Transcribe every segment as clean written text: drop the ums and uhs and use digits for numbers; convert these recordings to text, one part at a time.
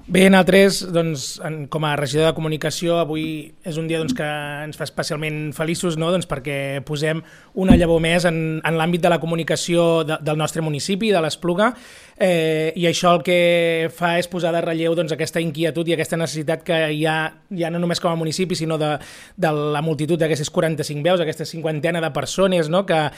Bé, nosaltres, doncs, com a regidor de comunicació, avui és un dia que ens fa especialment feliços, no? Perquè posem una llavor més en l'àmbit de la comunicació del nostre municipi, de l'Espluga, i això el que fa és posar de relleu aquesta inquietud i aquesta necessitat que hi ha, ja no només com a municipi, sinó de la multitud d'aquestes 45 veus, aquesta cinquantena de persones, no? que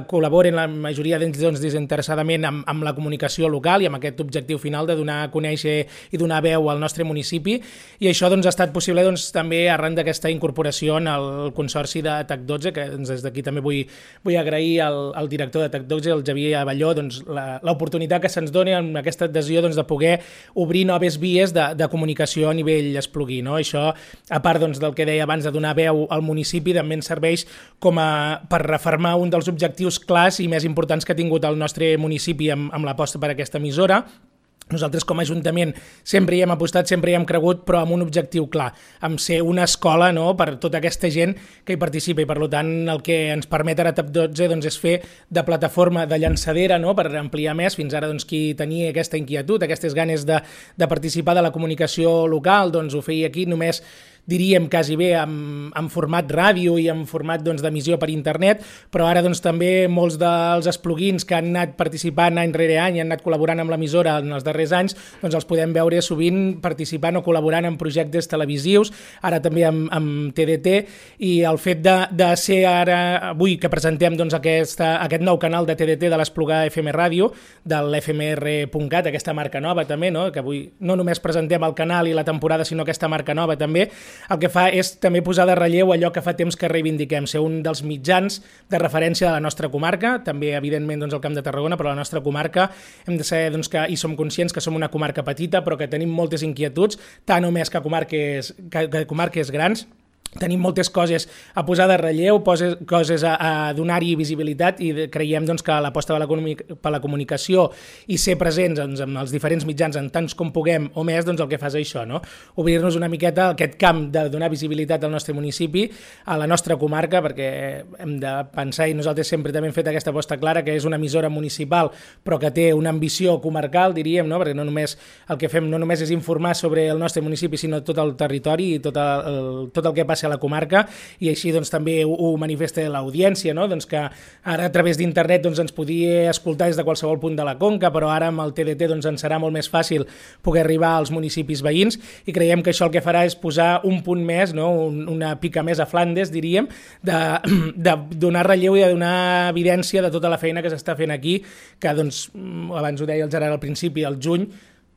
col·laboren, la majoria d'ells desinteressadament, amb la comunicació local i amb aquest objectiu final de donar a conèixer i donar veu al nostre municipi, i això ha estat possible també arran d'aquesta incorporació en el consorci de TAC12, que des d'aquí també vull agrair al director de TAC12, el Xavier Avelló, l'oportunitat que se'ns doni amb aquesta adhesió de poder obrir noves vies de comunicació a nivell espluguí. No? Això, a part del que deia abans de donar veu al municipi, també ens serveix per refermar un dels objectius clars i més importants que ha tingut el nostre municipi amb l'aposta per aquesta emissora. Nosaltres com a Ajuntament sempre hi hem apostat, sempre hi hem cregut, però amb un objectiu clar, amb ser una escola, no?, per tota aquesta gent que hi participa, i per tant el que ens permet ara TAC12 és fer de plataforma de llançadera, no?, per ampliar més. Fins ara qui tenia aquesta inquietud, aquestes ganes de participar de la comunicació local, ho feia aquí només, diríem quasi bé en format ràdio i en format d'emissió per internet, però ara també molts dels espluguins que han anat participant any rere any i han anat col·laborant amb l'emissora en els darrers anys, els podem veure sovint participant o col·laborant en projectes televisius, ara també amb TDT, i el fet de ser ara, avui que presentem aquest nou canal de TDT de l'Espluga FM Ràdio, de l'FMR.cat, aquesta marca nova també, no? Que avui no només presentem el canal i la temporada, sinó aquesta marca nova també, el que fa és també posar de relleu allò que fa temps que reivindiquem, ser un dels mitjans de referència de la nostra comarca, també evidentment el Camp de Tarragona, però la nostra comarca hem de saber i som conscients que som una comarca petita, però que tenim moltes inquietuds, tant o més que comarques grans. Tenim moltes coses a posar de relleu, coses a donar-hi visibilitat, i creiem que l'aposta per la comunicació i ser presents en els diferents mitjans en tants com puguem o més, el que fa és això, no? Obrir-nos una miqueta aquest camp de donar visibilitat al nostre municipi, a la nostra comarca, perquè hem de pensar, i nosaltres sempre també hem fet aquesta aposta clara, que és una emissora municipal però que té una ambició comarcal, diríem, no? Perquè no només el que fem no només és informar sobre el nostre municipi, sinó tot el territori i tot el que passa a la comarca, i així també ho manifesta l'audiència, no? Que ara a través d'internet ens podia escoltar des de qualsevol punt de la Conca, però ara amb el TDT ens serà molt més fàcil poder arribar als municipis veïns, i creiem que això el que farà és posar un punt més, no? Una pica més a Flandes, diríem, de donar relleu i de donar evidència de tota la feina que s'està fent aquí, que abans ho deia el Gerard al principi, al juny,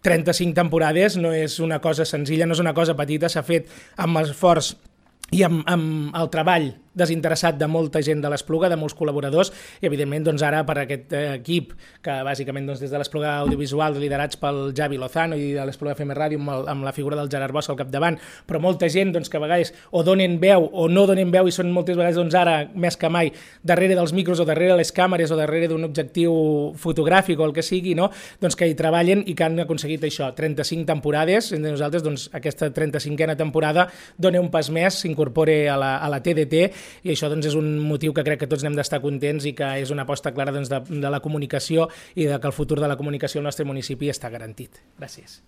35 temporades no és una cosa senzilla, no és una cosa petita, s'ha fet amb esforç i amb el treball desinteressat de molta gent de l'Espluga, de molts col·laboradors, i evidentment ara per aquest equip que bàsicament des de l'Espluga Audiovisual, liderats pel Javi Lozano i de l'Espluga FM Ràdio amb la figura del Gerard Bosch al capdavant, però molta gent que a vegades o donen veu o no donen veu, i són moltes vegades ara més que mai darrere dels micros o darrere les càmeres o darrere d'un objectiu fotogràfic o el que sigui, no? Que hi treballen i que han aconseguit això, 35 temporades. Entre nosaltres aquesta 35a temporada dona un pas més, s'incorpora a la TDT, i això és un motiu que crec que tots n'hem d'estar contents, i que és una aposta clara de la comunicació i que el futur de la comunicació al nostre municipi està garantit. Gràcies.